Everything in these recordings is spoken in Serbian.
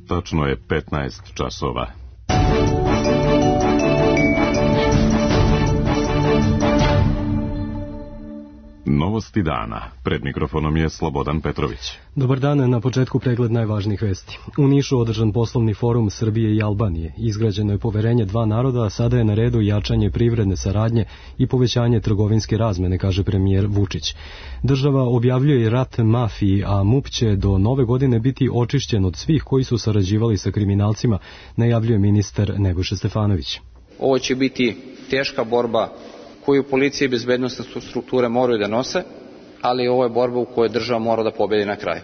tačno je 15 časova. Novosti dana. Pred mikrofonom je Slobodan Petrović. Dobar dan, na početku pregled najvažnijih vesti. U Nišu održan poslovni forum Srbije i Albanije. Izgrađeno je poverenje dva naroda, a sada je na redu jačanje privredne saradnje i povećanje trgovinske razmene, kaže premijer Vučić. Država objavljuje rat mafiji, a MUP će do nove godine biti očišćen od svih koji su sarađivali sa kriminalcima, najavljuje ministar Nebojša Stefanović. Ovo će biti teška borba koju policija i bezbednosne strukture moraju da nose, ali ovo je borba u kojoj država mora da pobedi na kraju.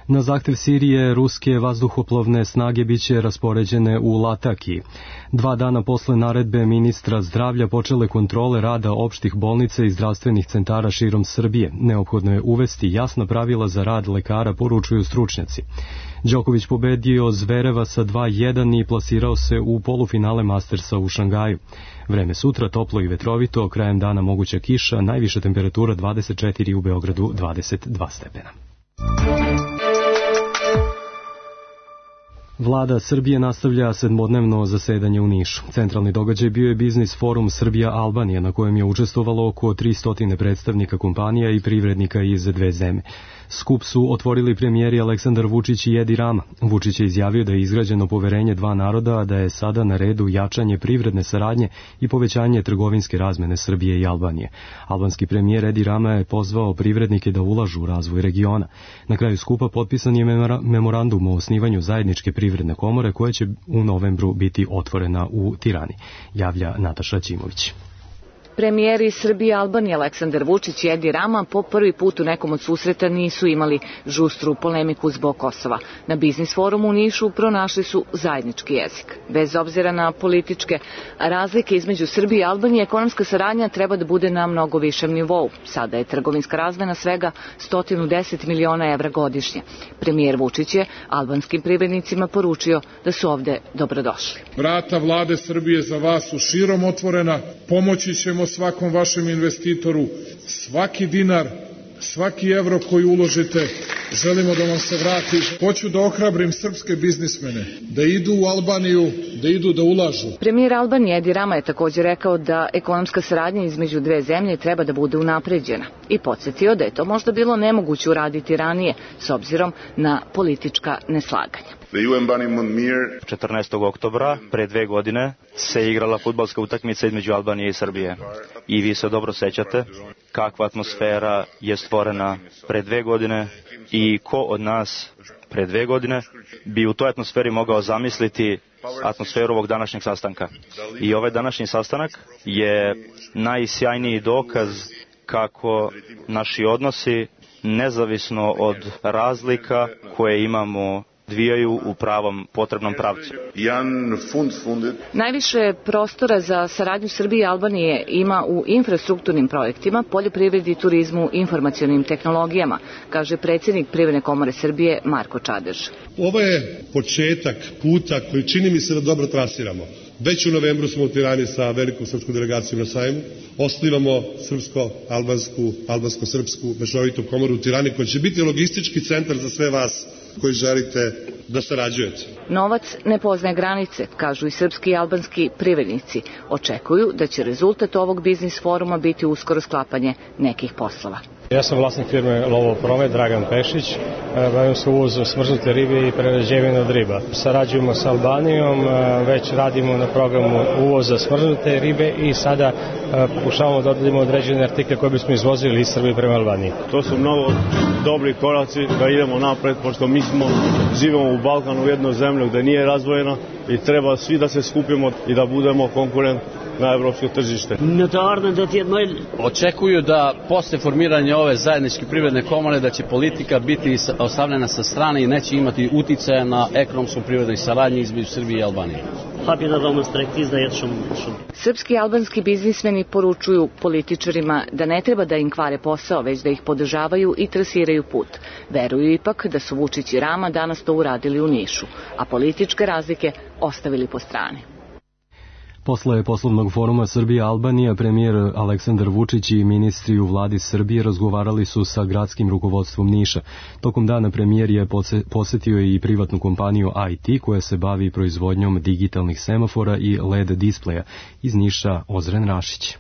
Na zahtev Sirije, ruske vazduhoplovne snage biće raspoređene u Latakiji. 2 dana posle naredbe ministra zdravlja počele kontrole rada opštih bolnica i zdravstvenih centara širom Srbije. Neophodno je uvesti jasna pravila za rad lekara, poručuju stručnjaci. Đoković pobedio Zvereva sa 2:1 i plasirao se u polufinale Mastersa u Šangaju. Vreme sutra toplo i vetrovito, krajem dana moguća kiša, najviša temperatura 24, u Beogradu 22 stepena. Vlada Srbije nastavlja sedmodnevno zasedanje u Nišu. Centralni događaj bio je biznis forum Srbija-Albanija, na kojem je učestvovalo oko 300 predstavnika kompanija i privrednika iz dve zemlje. Skup su otvorili premijeri Aleksandar Vučić i Edi Rama. Vučić je izjavio da je izgrađeno poverenje dva naroda, a da je sada na redu jačanje privredne saradnje i povećanje trgovinske razmene Srbije i Albanije. Albanski premijer Edi Rama je pozvao privrednike da ulažu u razvoj regiona. Na kraju skupa potpisan je memorandum o osnivanju zajedničke privredne komore koja će u novembru biti otvorena u Tirani, javlja Nataša Ćimović. Premijeri Srbije i Albanije Aleksandar Vučić i Edi Rama po prvi put u nekom od susreta nisu imali žustru polemiku zbog Kosova. Na biznis forumu u Nišu pronašli su zajednički jezik. Bez obzira na političke razlike između Srbije i Albanije, ekonomska saradnja treba da bude na mnogo višem nivou. Sada je trgovinska razmena svega 110 miliona evra godišnje. Premijer Vučić je albanskim privrednicima poručio da su ovde dobrodošli. Vrata vlade Srbije za vas su širom otvorena, pomoći ćemo svakom vašem investitoru, svaki dinar, svaki evro koji uložite, želimo da vam se vrati. Hoću da ohrabrim srpske biznismene, da idu u Albaniju, da idu da ulažu. Premijer Albanije Edi Rama je također rekao da ekonomska saradnja između dve zemlje treba da bude unapređena i podsjetio da je to možda bilo nemoguće uraditi ranije s obzirom na politička neslaganja. 14. oktobra pre 2 godine se igrala fudbalska utakmica između Albanije i Srbije. I vi se dobro sećate kakva atmosfera je stvorena pre 2 godine i ko od nas pre 2 godine bi u toj atmosferi mogao zamisliti atmosferu ovog današnjeg sastanka. I ovaj današnji sastanak je najsjajniji dokaz kako naši odnosi, nezavisno od razlika koje imamo, dvijaju u pravom potrebnom pravcu. Najviše prostora za saradnju Srbije i Albanije ima u infrastrukturnim projektima, poljoprivredi, turizmu, informacionim tehnologijama, kaže predsjednik Privredne komore Srbije Marko Čadež. Ovo je početak puta koji čini mi se da dobro trasiramo. Već u novembru smo u Tirani sa velikom srpskom delegacijom na sajmu. Osnivamo albansko-srpsku mešovitu komoru u Tirani koja će biti logistički centar za sve vas koji želite da sarađujete. Novac ne poznaje granice, kažu i srpski i albanski privrednici. Očekuju da će rezultat ovog biznis foruma biti uskoro sklapanje nekih poslova. Ja sam vlasnik firme Lovo Promet, Dragan Pešić. Bavim se uvozom smrzute ribe i prerađevine od riba. Sarađujemo sa Albanijom, već radimo na programu uvoza smrznute ribe i sada pokušavamo da odradimo određene artikle koje bismo izvozili iz Srbije prema Albaniji. To su mnogo dobri koraci da idemo napred, pošto mi živimo u Balkanu, u jednoj zemlji gde nije razdvojena i treba svi da se skupimo i da budemo konkurent na evropsko tržište. Očekuju da posle formiranja ove zajedničke privredne komore da će politika biti ostavljena sa strane i neće imati uticaja na ekonomsku privrednu saradnju između Srbije i Albanije. Srpski i albanski biznismeni poručuju političarima da ne treba da im kvare posao, već da ih podržavaju i trasiraju put. Veruju ipak da su Vučić i Rama danas to uradili u Nišu, a političke razlike ostavili po strani. Posle poslovnog foruma Srbija-Albanija, premijer Aleksandar Vučić i ministri u vladi Srbije razgovarali su sa gradskim rukovodstvom Niša. Tokom dana premijer je posetio i privatnu kompaniju IT koja se bavi proizvodnjom digitalnih semafora i LED displeja. Iz Niša Ozren Rašić.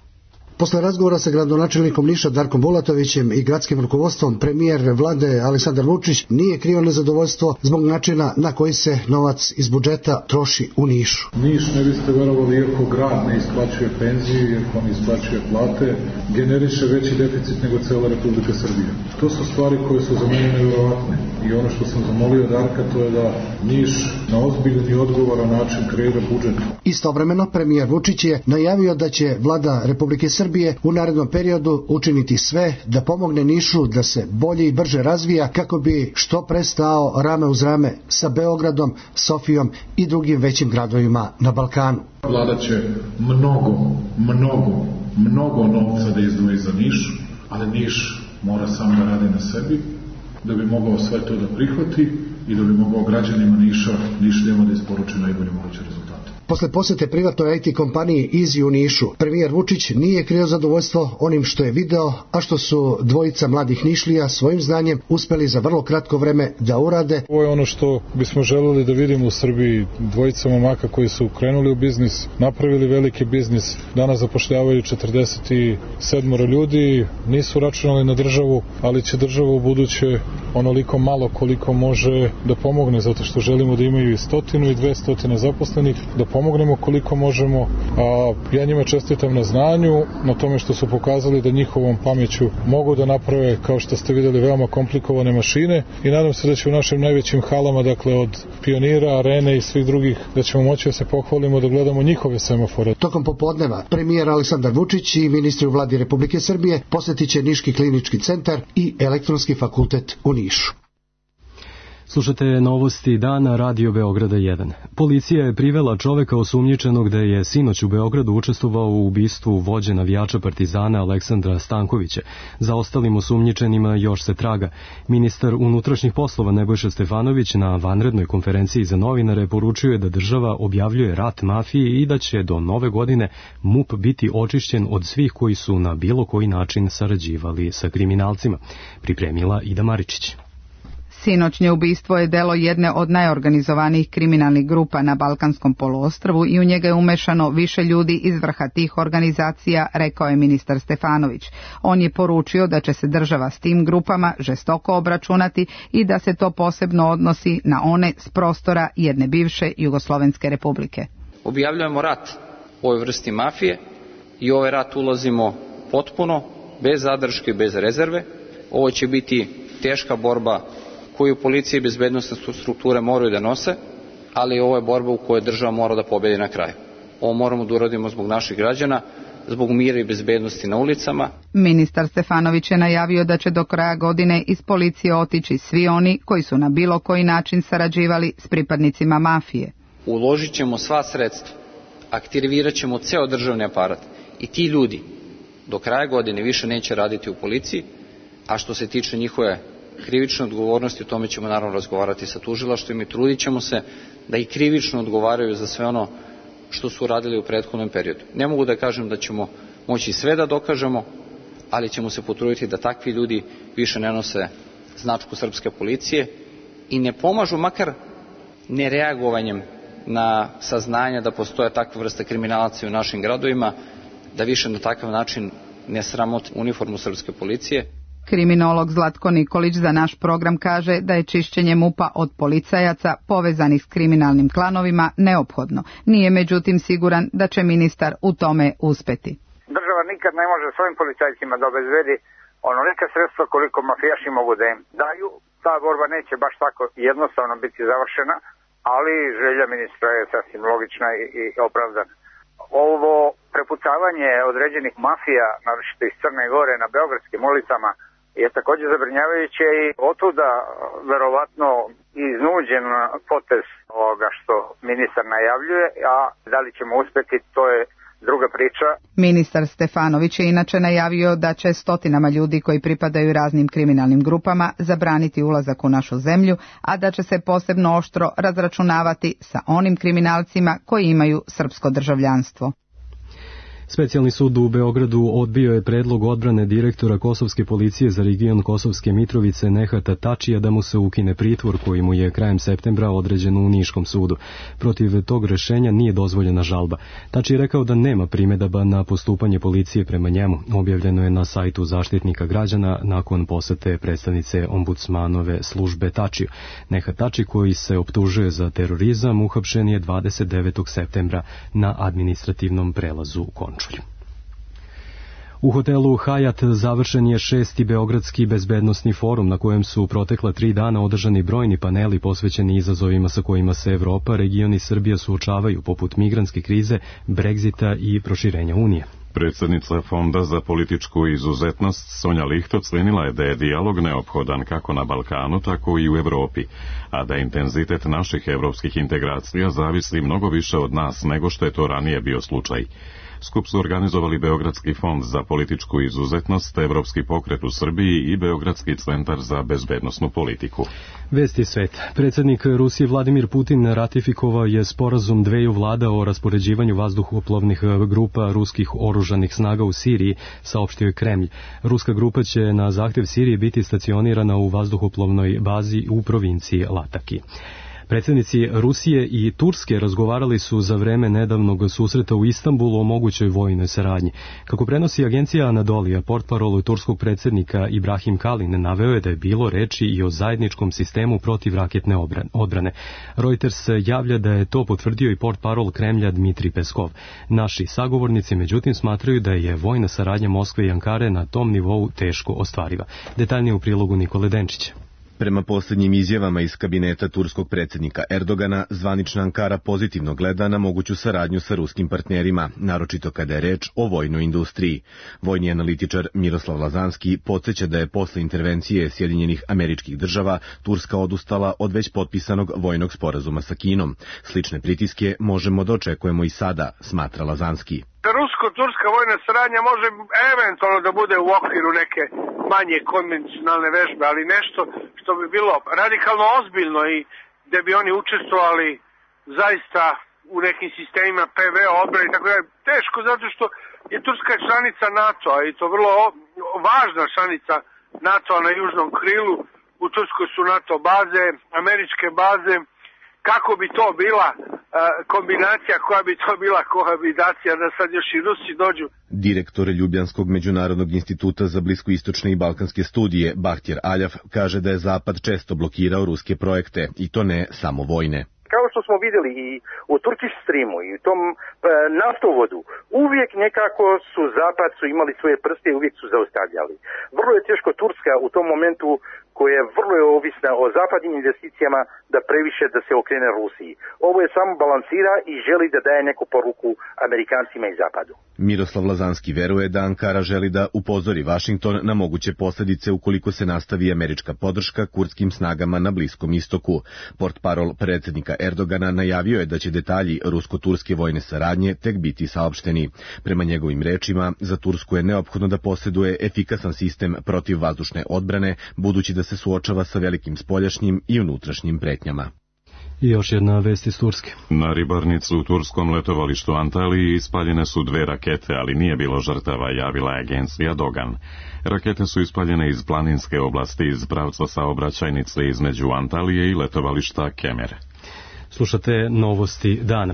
Posle razgovora sa gradonačelnikom Niša Darkom Bulatovićem i gradskim rukovodstvom, premijer vlade Aleksandar Vučić nije krio nezadovoljstvo zbog načina na koji se novac iz budžeta troši u Nišu. Niš, ne biste verovali, iako grad ne isplaćuje penzije, iako ne isplaćuje plate, generiše veći deficit nego cela Republika Srbija. To su stvari koje su za mene nevjerovatne. I ono što sam zamolio Darka, to je da Niš na ozbiljan i odgovoran način kreira budžet. Istovremeno, premijer Vučić je najavio da će vlada Republike Srbije u narednom periodu učiniti sve da pomogne Nišu da se bolje i brže razvija kako bi što pre stao rame uz rame sa Beogradom, Sofijom i drugim većim gradovima na Balkanu. Vlada će mnogo novca da izdvoji za Niš, ali Niš mora sam da radi na sebi da bi mogao sve to da prihvati i da bi mogao građanima Nišljama da isporuči najbolje moguće rezultate. Posle posete privatnoj IT kompaniji Easy u Nišu, premijer Vučić nije krio zadovoljstvo onim što je video, a što su dvojica mladih Nišlija svojim znanjem uspeli za vrlo kratko vreme da urade. Ovo je ono što bismo želeli da vidimo u Srbiji, dvojica momaka koji su krenuli u biznis, napravili veliki biznis, danas zapošljavaju 47 ljudi, nisu računali na državu, ali će država u buduće onoliko malo koliko može da pomogne, zato što želimo da imaju i 100 i 200 zaposlenih, da pomognemo koliko možemo, a ja njima čestitam na znanju, na tome što su pokazali da njihovom pameću mogu da naprave, kao što ste videli, veoma komplikovane mašine i nadam se da će u našim najvećim halama, dakle od Pionira, Arene i svih drugih, da ćemo moći da se pohvalimo da gledamo njihove semafore. Tokom popodneva premijer Aleksandar Vučić i ministri u vladi Republike Srbije posetit će Niški klinički centar i Elektronski fakultet u Nišu. Slušate novosti dana Radio Beograda 1. Policija je privela čoveka osumnjičenog da je sinoć u Beogradu učestvovao u ubistvu vođe navijača Partizana Aleksandra Stankovića. Za ostalim osumnjičenima još se traga. Ministar unutrašnjih poslova Nebojša Stefanović na vanrednoj konferenciji za novinare poručio je da država objavljuje rat mafiji i da će do nove godine MUP biti očišćen od svih koji su na bilo koji način sarađivali sa kriminalcima. Pripremila Ida Maričić. Sinoćnje ubistvo je delo jedne od najorganizovanijih kriminalnih grupa na Balkanskom poluostrvu i u njega je umešano više ljudi iz vrha tih organizacija, rekao je ministar Stefanović. On je poručio da će se država s tim grupama žestoko obračunati i da se to posebno odnosi na one s prostora jedne bivše Jugoslovenske republike. Objavljujemo rat ovoj vrsti mafije i ovaj rat ulazimo potpuno, bez zadrške, bez rezerve. Ovo će biti teška borba koju policija i bezbednosne strukture moraju da nose, ali ovo je borba u kojoj država mora da pobedi na kraju. Ovo moramo da uradimo zbog naših građana, zbog mira i bezbednosti na ulicama. Ministar Stefanović je najavio da će do kraja godine iz policije otići svi oni koji su na bilo koji način sarađivali s pripadnicima mafije. Uložit ćemo sva sredstva, aktivirat ćemo ceo državni aparat i ti ljudi do kraja godine više neće raditi u policiji, a što se tiče njihove krivične odgovornosti, o tome ćemo naravno razgovarati sa tužilaštvom i trudit ćemo se da i krivično odgovaraju za sve ono što su radili u prethodnom periodu. Ne mogu da kažem da ćemo moći sve da dokažemo, ali ćemo se potruditi da takvi ljudi više ne nose značku srpske policije i ne pomažu makar nereagovanjem na saznanja da postoje takva vrsta kriminalaca u našim gradovima, da više na takav način ne sramote uniformu srpske policije. Kriminolog Zlatko Nikolić za naš program kaže da je čišćenje MUP-a od policajaca povezanih s kriminalnim klanovima neophodno. Nije međutim siguran da će ministar u tome uspeti. Država nikad ne može svojim policajcima da obezbedi onolika sredstva koliko mafijaši mogu da im daju. Ta borba neće baš tako jednostavno biti završena, ali želja ministra je sasvim logična i opravdana. Ovo prepucavanje određenih mafija, naročito iz Crne Gore na beogradskim ulicama, je također zabrinjavajuće i otuda verovatno iznuđen potez ovoga što ministar najavljuje, a da li ćemo uspeti, to je druga priča. Ministar Stefanović je inače najavio da će stotinama ljudi koji pripadaju raznim kriminalnim grupama zabraniti ulazak u našu zemlju, a da će se posebno oštro razračunavati sa onim kriminalcima koji imaju srpsko državljanstvo. Specijalni sud u Beogradu odbio je predlog odbrane direktora Kosovske policije za region Kosovske Mitrovice Nehata Tačija da mu se ukine pritvor koji mu je krajem septembra određen u Niškom sudu. Protiv tog rešenja nije dozvoljena žalba. Tači je rekao da nema primedaba na postupanje policije prema njemu. Objavljeno je na sajtu Zaštitnika građana nakon posete predstavnice ombudsmanove službe Tačiju. Nehat Tači, koji se optužuje za terorizam, uhapšen je 29. septembra na administrativnom prelazu Končulj. U hotelu Hyatt završen je 6. Beogradski bezbednosni forum na kojem su protekla 3 dana održani brojni paneli posvećeni izazovima sa kojima se Evropa, region i Srbija suočavaju, poput migrantske krize, Brexita i proširenja Unije. Predsjednica Fonda za političku izuzetnost Sonja Licht ocenila je da je dijalog neophodan kako na Balkanu, tako i u Evropi, a da intenzitet naših evropskih integracija zavisi mnogo više od nas nego što je to ranije bio slučaj. Skup su organizovali Beogradski fond za političku izuzetnost, Evropski pokret u Srbiji i Beogradski centar za bezbednosnu politiku. Vesti sveta. Predsjednik Rusije Vladimir Putin ratifikovao je sporazum dveju vlada o raspoređivanju vazduhoplovnih grupa ruskih oružanih snaga u Siriji, saopštio je Kremlj. Ruska grupa će na zahtjev Sirije biti stacionirana u vazduhoplovnoj bazi u provinciji Lataki. Predsjednici Rusije i Turske razgovarali su za vreme nedavnog susreta u Istanbulu o mogućoj vojnoj saradnji. Kako prenosi agencija Anadolija, portparol turskog predsjednika Ibrahim Kalin naveo je da je bilo reči i o zajedničkom sistemu protivraketne odbrane. Reuters javlja da je to potvrdio i portparol Kremlja Dmitri Peskov. Naši sagovornici međutim smatraju da je vojna saradnja Moskve i Ankare na tom nivou teško ostvariva. Detaljnije u prilogu Nikole Denčića. Prema posljednjim izjavama iz kabineta turskog predsjednika Erdogana, zvanična Ankara pozitivno gleda na moguću saradnju sa ruskim partnerima, naročito kada je reč o vojnoj industriji. Vojni analitičar Miroslav Lazanski podsjeća da je posle intervencije Sjedinjenih Američkih Država Turska odustala od već potpisanog vojnog sporazuma sa Kinom. Slične pritiske možemo da očekujemo i sada, smatra Lazanski. Rusko-turska vojna saradnja može eventualno da bude u okviru neke manje konvencionalne vežbe, ali nešto što bi bilo radikalno ozbiljno i gde bi oni učestvovali zaista u nekim sistemima PV odbrane i tako dalje. Teško zato što je Turska članica NATO-a i to vrlo važna članica NATO-a na južnom krilu. U Turskoj su NATO baze, američke baze. Kako bi to bila kombinacija, koja bi to bila kohabitacija da sad još i Rusi dođu. Direktor Ljubljanskog međunarodnog instituta za bliskoistočne i balkanske studije Bahtjer Aljav kaže da je Zapad često blokirao ruske projekte i to ne samo vojne. Kao što smo vidjeli i u Turkish Streamu i u tom naftovodu, uvijek nekako su Zapad su imali svoje prste i uvijek su zaustavljali. Vrlo je teško Turska u tom momentu, koja je vrlo ovisna o zapadnim investicijama, da previše da se okrene Rusiji. Ovo je samo balansira i želi da daje neku poruku Amerikancima i Zapadu. Miroslav Lazanski veruje da Ankara želi da upozori Vašington na moguće posljedice ukoliko se nastavi američka podrška kurdskim snagama na Bliskom istoku. Portparol predsjednika Erdogana najavio je da će detalji rusko-turske vojne saradnje tek biti saopšteni. Prema njegovim rečima, za Tursku je neophodno da posjeduje efikasan sistem protivvazdušne odbrane, budući da se suočava sa velikim spoljašnjim i unutrašnjim pretnjama. I još jedna vest iz Turske. Na ribarnicu u turskom letovalištu Antaliji ispaljene su 2 rakete, ali nije bilo žrtava, javila je agencija Dogan. Rakete su ispaljene iz planinske oblasti iz pravca saobraćajnice između Antalije i letovališta Kemer. Slušate novosti dana.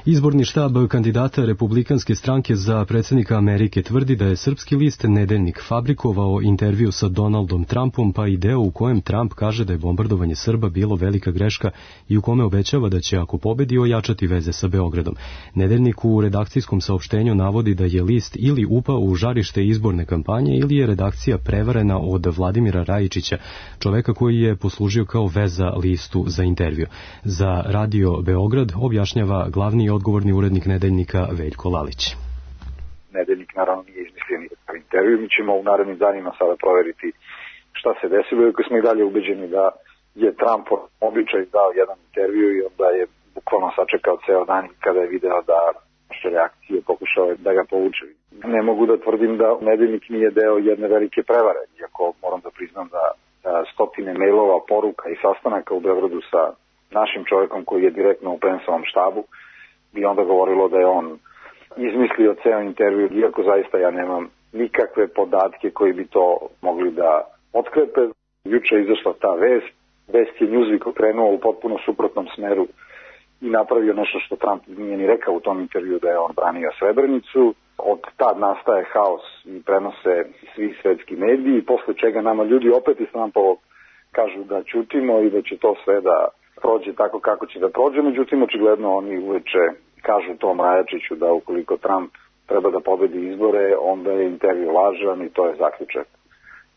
Izborni štab kandidata Republikanske stranke za predsjednika Amerike tvrdi da je srpski list Nedeljnik fabrikovao intervju sa Donaldom Trumpom, pa i deo u kojem Trump kaže da je bombardovanje Srba bilo velika greška i u kome obećava da će, ako pobedi, ojačati veze sa Beogradom. Nedeljnik u redakcijskom saopštenju navodi da je list ili upao u žarište izborne kampanje ili je redakcija prevarena od Vladimira Rajičića, čoveka koji je poslužio kao veza listu za intervju. Za Radio Beograd objašnjava glavni i odgovorni urednik Nedeljnika Veljko Lalić. Nedeljnik naravno nije izmislio nikakav intervju. Mi ćemo u narednim danima sada proveriti šta se desilo, iako smo i dalje ubeđeni da je Trump običaj dao jedan intervju i onda je bukvalno sačekao ceo dan kada je video da naše reakcije pokušaju pokušao je da ga povuče. Ne mogu da tvrdim da Nedeljnik nije deo jedne velike prevare, iako moram da priznam da stotine mailova, poruka i sastanaka u Beogradu sa našim čovjekom koji je direktno u PENS-ovom štabu bi onda govorilo da je on izmislio ceo intervju, iako zaista ja nemam nikakve podatke koji bi to mogli da otkrepe. Juče je izašla ta vest je Newsweek okrenuo u potpuno suprotnom smeru i napravio nešto što Trump nije ni rekao u tom intervju, da je on branio Srebrenicu. Od tad nastaje haos i prenose svi svetski mediji, posle čega nama ljudi opet iz Trumpovog kažu da ćutimo i da će to sve da prođe tako kako će da prođe. Međutim, očigledno oni uveče kažu Tom Rajačiću da ukoliko Trump treba da pobedi izbore, onda je intervju lažan i to je zaključak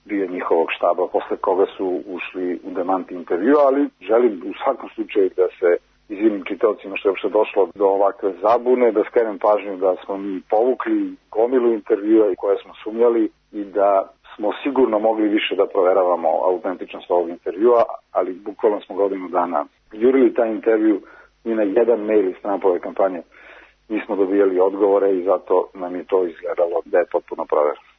bio njihovog štaba, posle koga su ušli u demant intervju, ali želim u svakom slučaju da se izvinim čitaocima što je uopšte došlo do ovakve zabune, da skrenem pažnju da smo mi povukli gomilu intervjua i koje smo sumnjali i da smo sigurno mogli više da proveravamo autentičnost ovog intervjua, ali bukvalno smo godinu dana jurili taj intervju i na jedan mail iz Trumpove kampanje nismo dobijali odgovore i zato nam je to izgledalo da je potpuno provereno.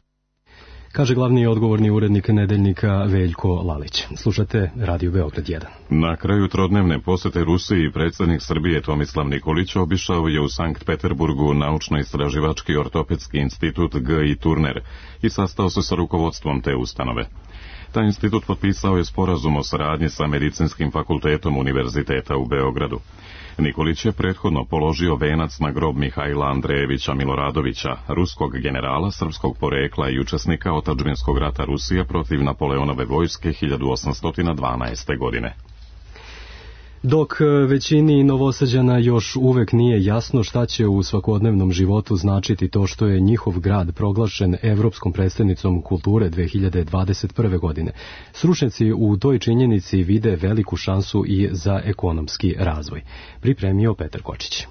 Kaže glavni odgovorni urednik Nedeljnika Veljko Lalić. Slušate Radio Beograd 1. Na kraju trodnevne posete Rusiji predsjednik Srbije Tomislav Nikolić obišao je u Sankt Peterburgu Naučno-istraživački ortopedski institut G.I. Turner i sastao se sa rukovodstvom te ustanove. Taj institut potpisao je sporazum o saradnji sa Medicinskim fakultetom Univerziteta u Beogradu. Nikolić je prethodno položio venac na grob Mihajla Andrejevića Miloradovića, ruskog generala srpskog porekla i učesnika otadžbinskog rata Rusije protiv Napoleonove vojske 1812. godine. Dok većini Novosađana još uvek nije jasno šta će u svakodnevnom životu značiti to što je njihov grad proglašen Evropskom prestolnicom kulture 2021. godine, stručnjaci u toj činjenici vide veliku šansu i za ekonomski razvoj. Pripremio Petar Kočić.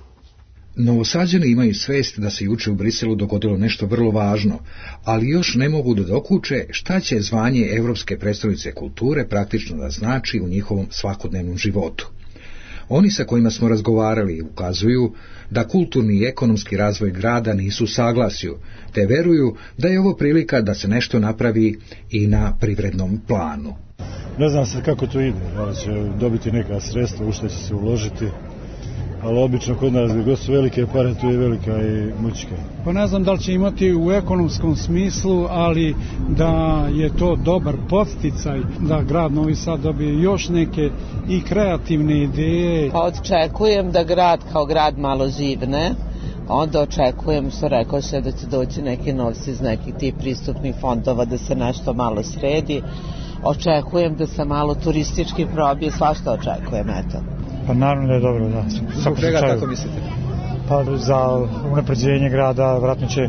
Novosađani imaju svest da se juče u Briselu dogodilo nešto vrlo važno, ali još ne mogu da dokuče šta će zvanje Evropske prestolnice kulture praktično da znači u njihovom svakodnevnom životu. Oni sa kojima smo razgovarali ukazuju da kulturni i ekonomski razvoj grada nisu u saglasju, te veruju da je ovo prilika da se nešto napravi i na privrednom planu. Ne znam se kako to ide, da će dobiti neka sredstva, u što će se uložiti, ali obično kod nas gdje su velike pare, tu je velika i mućka. Pa ne znam da li će imati u ekonomskom smislu, ali da je to dobar podsticaj da grad Novi Sad dobije još neke i kreativne ideje. Pa očekujem da grad kao grad malo živne, onda očekujem, što rekao se, da će doći neki novci iz nekih tih pristupnih fondova, da se nešto malo sredi. Očekujem da se malo turistički probije, svašta očekujem, eto. Pa naravno da je dobro, da. Zbog čega tako mislite? Pa za unapređenje grada, vratno će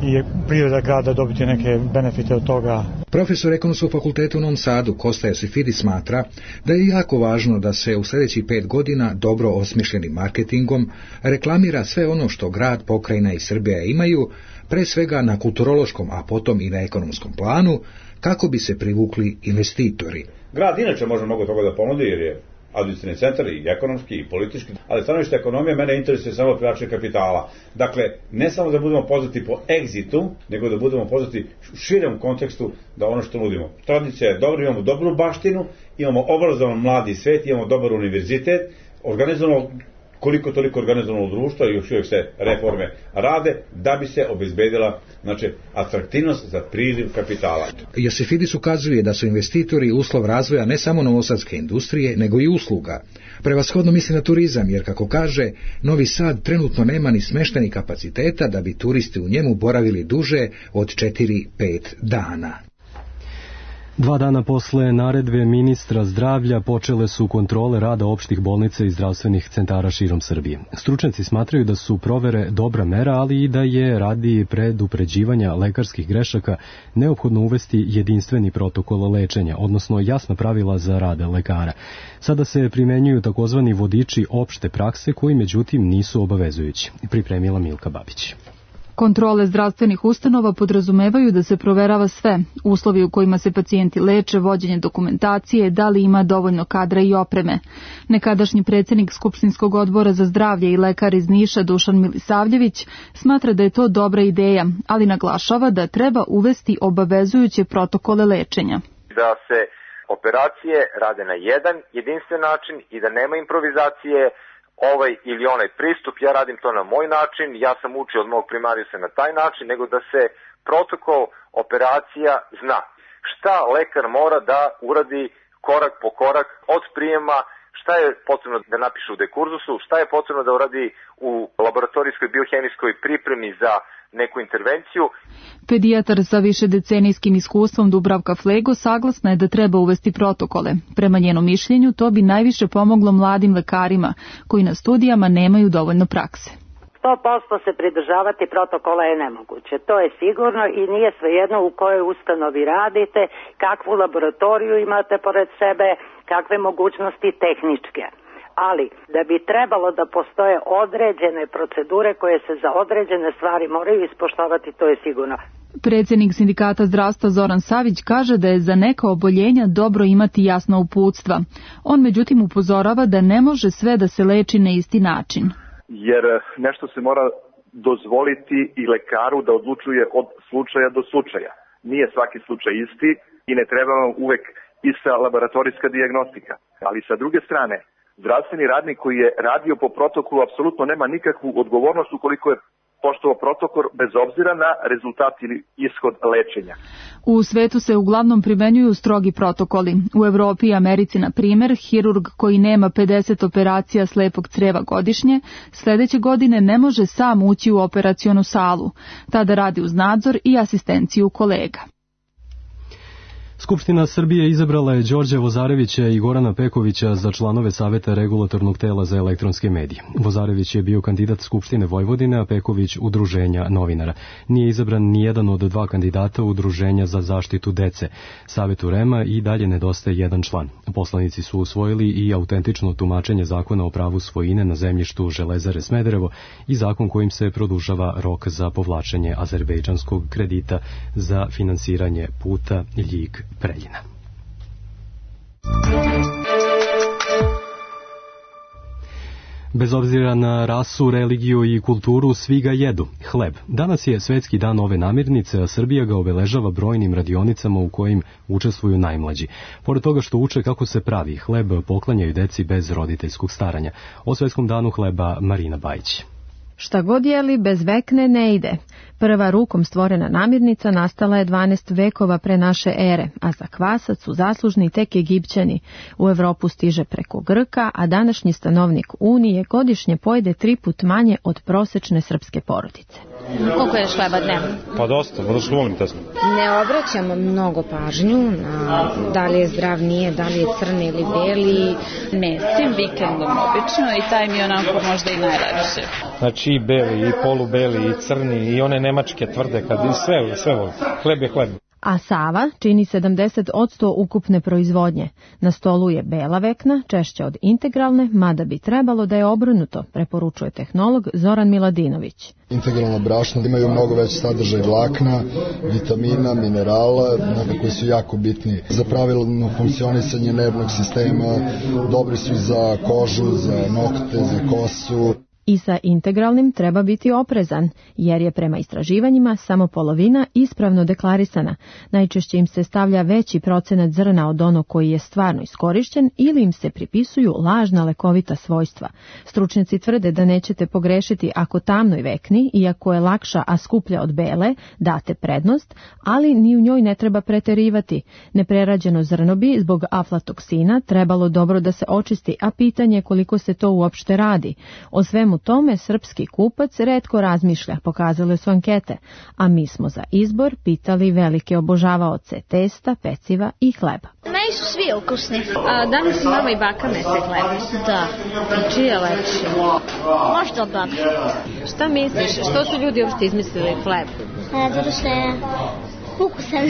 i priroda grada dobiti neke benefite od toga. Profesor Ekonomskog fakulteta u Novom Sadu, Kosta Josifidis, smatra da je jako važno da se u sljedećih 5 godina dobro osmišljenim marketingom reklamira sve ono što grad, pokrajina i Srbija imaju, pre svega na kulturološkom, a potom i na ekonomskom planu, kako bi se privukli investitori. Grad inače može mnogo toga da ponudi jer je administrativni centar i ekonomski i politički, ali stanovište ekonomije mene interesuje samo privlačenje kapitala. Dakle, ne samo da budemo poznati po egzitu, nego da budemo poznati u širem kontekstu da ono što nudimo. Tradicija je dobra, imamo dobru baštinu, imamo obrazovan mladi svet, imamo dobar univerzitet, organizovano koliko toliko organizovano društvo i još uvijek se reforme rade da bi se obezbedila atraktivnost za priliv kapitala. Josifidis ukazuje da su investitori uslov razvoja ne samo novosadske industrije, nego i usluga. Prevashodno misli na turizam, jer kako kaže, Novi Sad trenutno nema ni smeštajnih kapaciteta da bi turisti u njemu boravili duže od 4-5 dana. 2 dana posle naredbe ministra zdravlja počele su kontrole rada opštih bolnica i zdravstvenih centara širom Srbije. Stručnjaci smatraju da su provere dobra mera, ali i da je radi predupređivanja lekarskih grešaka neophodno uvesti jedinstveni protokol lečenja, odnosno jasna pravila za rad lekara. Sada se primenjuju takozvani vodiči opšte prakse koji međutim nisu obavezujući. Pripremila Milka Babić. Kontrole zdravstvenih ustanova podrazumevaju da se proverava sve, uslovi u kojima se pacijenti leče, vođenje dokumentacije, da li ima dovoljno kadra i opreme. Nekadašnji predsjednik Skupštinskog odbora za zdravlje i lekar iz Niša Dušan Milisavljević smatra da je to dobra ideja, ali naglašava da treba uvesti obavezujuće protokole lečenja. Da se operacije rade na jedan jedinstven način i da nema improvizacije, ovaj ili onaj pristup, ja radim to na moj način, ja sam učio od mog primarijusa na taj način, nego da se protokol operacija zna. Šta lekar mora da uradi korak po korak od prijema, šta je potrebno da napiše u dekurzusu, šta je potrebno da uradi u laboratorijskoj biohemijskoj pripremi za neku intervenciju. Pedijatar sa višedecenijskim iskustvom Dubravka Flego saglasna je da treba uvesti protokole. Prema njenom mišljenju to bi najviše pomoglo mladim lekarima koji na studijama nemaju dovoljno prakse. 100% se pridržavati protokola je nemoguće, to je sigurno i nije svejedno u kojoj ustanovi radite, kakvu laboratoriju imate pored sebe, kakve mogućnosti tehničke. Ali da bi trebalo da postoje određene procedure koje se za određene stvari moraju ispoštovati, to je sigurno. Predsjednik Sindikata zdravstva Zoran Savić kaže da je za neka oboljenja dobro imati jasna uputstva. On međutim upozorava da ne može sve da se leči na isti način. Jer nešto se mora dozvoliti i lekaru da odlučuje od slučaja do slučaja. Nije svaki slučaj isti i ne treba vam uvek ista laboratorijska dijagnostika. Ali sa druge strane, zdravstveni radnik koji je radio po protokolu apsolutno nema nikakvu odgovornost ukoliko je poštovao protokol bez obzira na rezultat ili ishod lečenja. U svetu se uglavnom primenjuju strogi protokoli. U Evropi i Americi, na primjer, hirurg koji nema 50 operacija slepog creva godišnje, sljedeće godine ne može sam ući u operacionu salu. Tada radi uz nadzor i asistenciju kolega. Skupština Srbije izabrala je Đorđa Vozarevića i Gorana Pekovića za članove Saveta regulatornog tela za elektronske medije. Vozarević je bio kandidat Skupštine Vojvodine, a Peković Udruženja novinara. Nije izabran ni jedan od dva kandidata Udruženja za zaštitu dece. Savetu REM-a i dalje nedostaje jedan član. Poslanici su usvojili i autentično tumačenje zakona o pravu svojine na zemljištu Železare Smederevo i zakon kojim se produžava rok za povlačenje azerbejdžanskog kredita za finansiranje puta Ljig-Preljina. Bez obzira na rasu, religiju i kulturu, svi ga jedu. Hleb. Danas je Svetski dan ove namirnice, a Srbija ga obeležava brojnim radionicama u kojim učestvuju najmlađi. Pored toga što uče kako se pravi, hleb poklanjaju deci bez roditeljskog staranja. O Svetskom danu hleba Marina Bajić. Šta god jeli, bez vekne ne ide. Prva rukom stvorena namirnica nastala je 12 vekova pre naše ere, a za kvasac su zaslužni tek Egipćani. U Evropu stiže preko Grka, a današnji stanovnik Unije godišnje pojede 3 put manje od prosečne srpske porodice. Koliko je hleba dnevno? Pa dosta, vrlo što volim tesno. Ne obraćamo mnogo pažnju na da li je zdrav, nije, da li je crni ili beli. Mesim vikendom obično i taj mi je onako možda i najlepše. Znači i beli, i polubeli, i crni, i one nemačke tvrde, kad i sve volim. Hleb je hleb. A Sava čini 70% ukupne proizvodnje. Na stolu je bela vekna, češće od integralne, mada bi trebalo da je obrnuto, preporučuje tehnolog Zoran Miladinović. Integralno brašno imaju mnogo veći sadržaj vlakna, vitamina, minerala, koji su jako bitni za pravilno funkcionisanje nervnog sistema, dobri su za kožu, za nokte, za kosu. I sa integralnim treba biti oprezan, jer je prema istraživanjima samo polovina ispravno deklarisana. Najčešće im se stavlja veći procenat zrna od onog koji je stvarno iskorišćen ili im se pripisuju lažna lekovita svojstva. Stručnjaci tvrde da nećete pogrešiti ako tamnoj vekni, iako je lakša a skuplja od bele, date prednost, ali ni u njoj ne treba preterivati. Neprerađeno zrno bi zbog aflatoksina trebalo dobro da se očisti, a pitanje je koliko se to uopšte radi. O svemu tome srpski kupac retko razmišlja, pokazale su ankete, a mi smo za izbor pitali velike obožavaoce testa, peciva i hleba. Meni su svi ukusni. Danas mama i baka mese hleb. Da. I čiji je lepši? Možda od baka. Šta misliš? Što su ljudi uopšte izmislili hleb? Zato što je ukusan.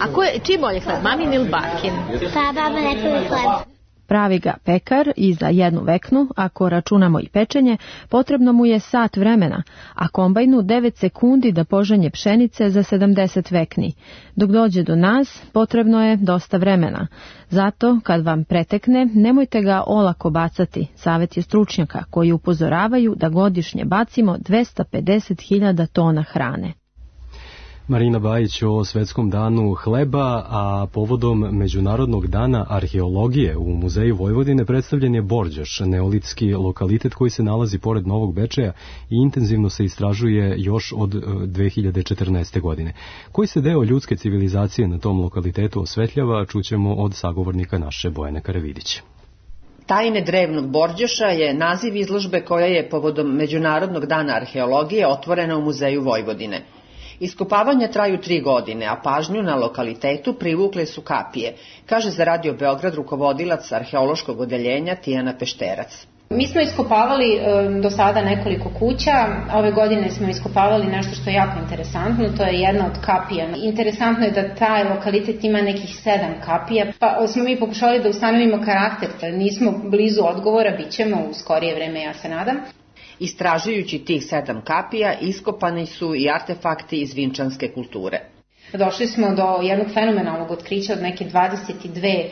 A čiji bolje hleb? Mamin ili bakin? Pa baba nekada hleb. Pravi ga pekar i za jednu veknu, ako računamo i pečenje, potrebno mu je sat vremena, a kombajnu 9 sekundi da poženje pšenice za 70 vekni. Dok dođe do nas, potrebno je dosta vremena. Zato, kad vam pretekne, nemojte ga olako bacati. Savet je stručnjaka koji upozoravaju da godišnje bacimo 250.000 tona hrane. Marina Bajić o Svetskom danu hleba, a povodom Međunarodnog dana arheologije u Muzeju Vojvodine predstavljen je Borđoš, neolitski lokalitet koji se nalazi pored Novog Bečeja i intenzivno se istražuje još od 2014. godine. Koji se deo ljudske civilizacije na tom lokalitetu osvetljava, čućemo od sagovornika naše Bojane Karavidić. Tajne drevnog Borđoša je naziv izložbe koja je povodom Međunarodnog dana arheologije otvorena u Muzeju Vojvodine. Iskopavanja traju 3 godine, a pažnju na lokalitetu privukle su kapije, kaže za Radio Beograd rukovodilac arheološkog odeljenja Tijana Pešterac. Mi smo iskopavali do sada nekoliko kuća, ove godine smo iskopavali nešto što je jako interesantno, to je jedna od kapija. Interesantno je da taj lokalitet ima nekih 7 kapija, pa smo mi pokušali da ustanovimo karakter, nismo blizu odgovora, bit ćemo u skorije vreme, ja se nadam. Istražujući tih 7 kapija, iskopani su i artefakti iz vinčanske kulture. Došli smo do jednog fenomenalnog otkrića od neke 22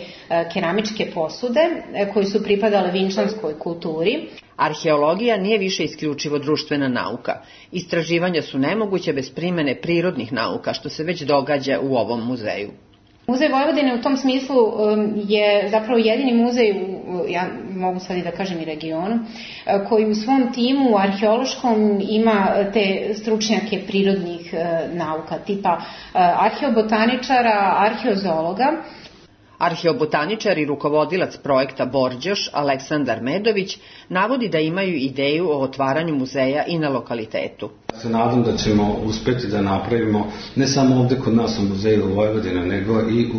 keramičke posude koje su pripadale vinčanskoj kulturi. Arheologija nije više isključivo društvena nauka. Istraživanja su nemoguće bez primene prirodnih nauka, što se već događa u ovom muzeju. Muzej Vojvodine u tom smislu je zapravo jedini muzej, ja mogu sad i da kažem i regionu, koji u svom timu arheološkom ima te stručnjake prirodnih nauka, tipa arheobotaničara, arheozoologa. Arheobotaničar i rukovodilac projekta Borđoš, Aleksandar Medović, navodi da imaju ideju o otvaranju muzeja i na lokalitetu. Se nadam da ćemo uspeti da napravimo ne samo ovde kod nas u Muzeju Vojvodine, nego i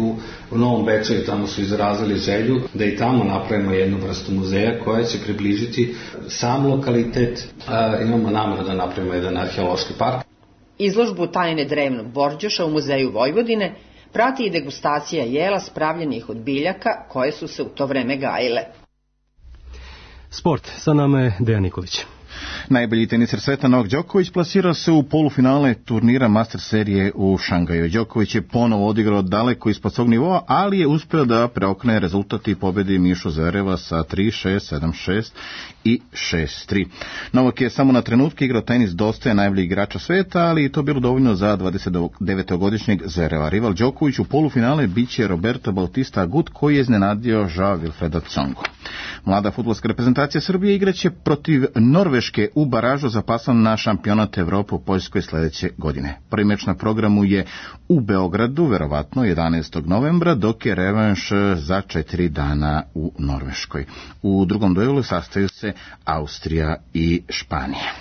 u Novom Bečeju. Tamo su izrazili želju da i tamo napravimo jednu vrstu muzeja koja će približiti sam lokalitet. Imamo nameru da napravimo jedan arheološki park. Izložbu tajne drevnog Borđoša u Muzeju Vojvodine prati i degustacija jela spravljenih od biljaka koje su se u to vreme gajile. Sport, sa nama je Dejan Nikolić. Najbolji teniser sveta Novak Đoković plasirao se u polufinale turnira Master serije u Šangaju. Đoković je ponovo odigrao daleko ispod svog nivoa, ali je uspeo da preokne rezultat i pobedi Mišu Zvereva sa 3-6, 7-6 i 6-3. Novak je samo na trenutke igrao tenis dosta najboljih igrača sveta, ali i to bilo dovoljno za 29-godišnjeg Zvereva. Rival Đoković u polufinale biće Roberto Bautista Agut, koji je iznenadio Joao Wilfreda Tsongu. Mlada fudbalska reprezentacija Srbije igraće protiv Norveške u baražu za plasman na šampionat Evrope u Poljskoj sledeće godine. Prvi meč na programu je u Beogradu, verovatno 11. novembra, dok je revanš za 4 dana u Norveškoj. U drugom duelu sastaju se Austrija i Španija.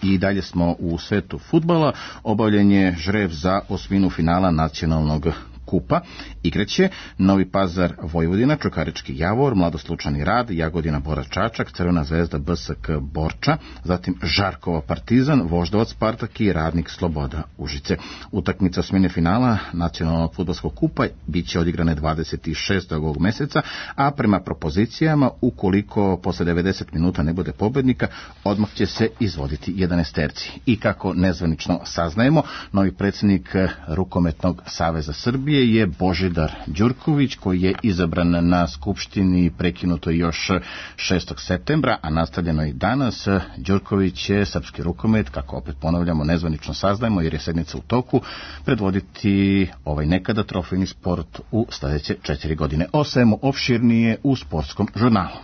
I dalje smo u svetu fudbala. Obavljen je žreb za osminu finala nacionalnog kupa. Igraće Novi Pazar Vojvodina, Čukarički Javor, Mladoslučani Rad, Jagodina Bora Čačak, Crvena zvezda BSK Borča, zatim Žarkova Partizan, Voždovac Spartak i Radnik Sloboda Užice. Utakmica osmine finala nacionalnog fudbalskog kupa biće odigrane 26. ovog meseca, a prema propozicijama, ukoliko posle 90 minuta ne bude pobednika, odmah će se izvoditi 11-terci. I kako nezvanično saznajemo, novi predsjednik Rukometnog saveza Srbije je Božidar Đurković, koji je izabran na Skupštini prekinuto još 6. septembra, a nastavljeno i danas. Đurković će srpski rukomet, kako opet ponavljamo, nezvanično saznajemo jer je sednica u toku, predvoditi ovaj nekada trofejni sport u sledeće 4 godine. O svemu opširnije u sportskom žurnalu.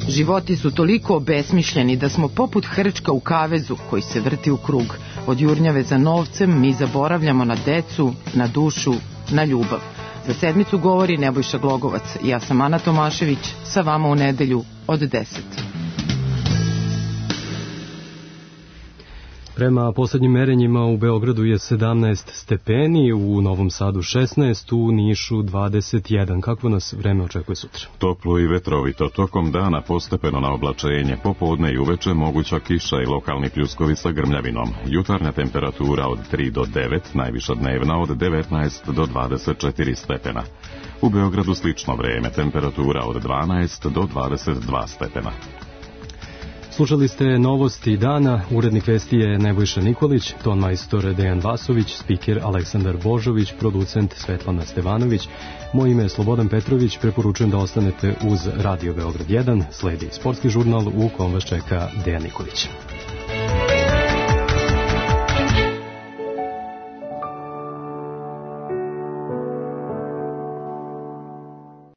Životi su toliko obesmišljeni da smo poput hrčka u kavezu koji se vrti u krug. Od jurnjave za novcem mi zaboravljamo na decu, na dušu, na ljubav. Za sedmicu govori Nebojša Glogovac. Ja sam Ana Tomašević, sa vama u nedelju od 10. Prema poslednjim merenjima u Beogradu je 17 stepeni, u Novom Sadu 16, u Nišu 21. Kakvo nas vreme očekuje sutra? Toplo i vetrovito, tokom dana postepeno na oblačenje, popodne i uveče moguća kiša i lokalni pljuskovi sa grmljavinom. Jutarnja temperatura od 3 do 9, najviša dnevna od 19 do 24 stepena. U Beogradu slično vreme, temperatura od 12 do 22 stepena. Slušali ste novosti dana, urednik vesti je Nebojša Nikolić, ton majstor Dejan Vasović, spiker Aleksandar Božović, producent Svetlana Stevanović. Moje ime je Slobodan Petrović, preporučujem da ostanete uz Radio Beograd 1, sledi sportski žurnal u kom vas čeka Dejan Nikolić.